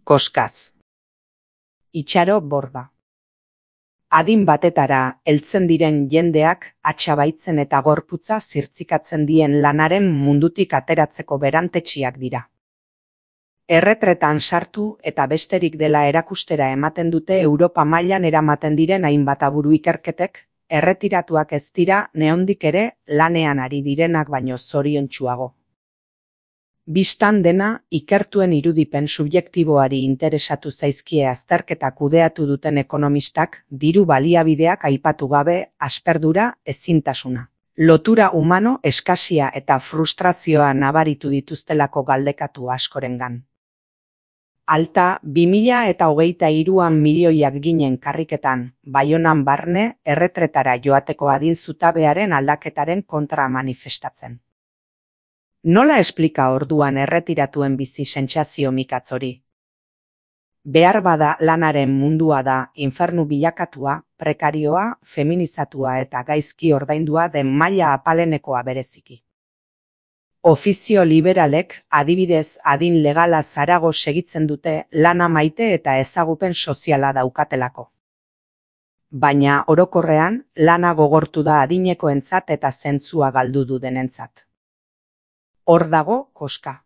Koskaz. Itxaro borda. Adin batetara heltzen diren jendeak atxabaitzen eta gorputza zirtzikatzen dien lanaren mundutik ateratzeko berantetsiak dira. Erretretan sartu eta besterik dela erakustera ematen dute Europa mailan eramaten diren hainbat aburu ikerketek, erretiratuak ez dira neondik ere lanean ari direnak baino zoriontsuago. Bistan dena, ikertuen irudipen subjektiboari interesatu zaizkie azterketa kudeatu duten ekonomistak diru baliabideak aipatu gabe asperdura ezintasuna. Lotura humano, eskasia eta frustrazioa nabaritu dituztelako galdekatu askorengan. Alta, 2023an milioiak ginen karriketan, Baionan barne, erretretara joateko adin zutabearen aldaketaren kontra manifestatzen. Nola esplika orduan erretiratuen bizi sentsazio mikatz hori? Behar bada lanaren mundua da infernu bilakatua, prekarioa, feminizatua eta gaizki ordaindua den maila apalenekoa bereziki. Ofizio liberalek, adibidez adin legala zarago segitzen dute lana maite eta ezagupen soziala daukatelako. Baina orokorrean, lana gogortu da adinekoentzat eta zentzua galdu du denentzat. Hor dago koska.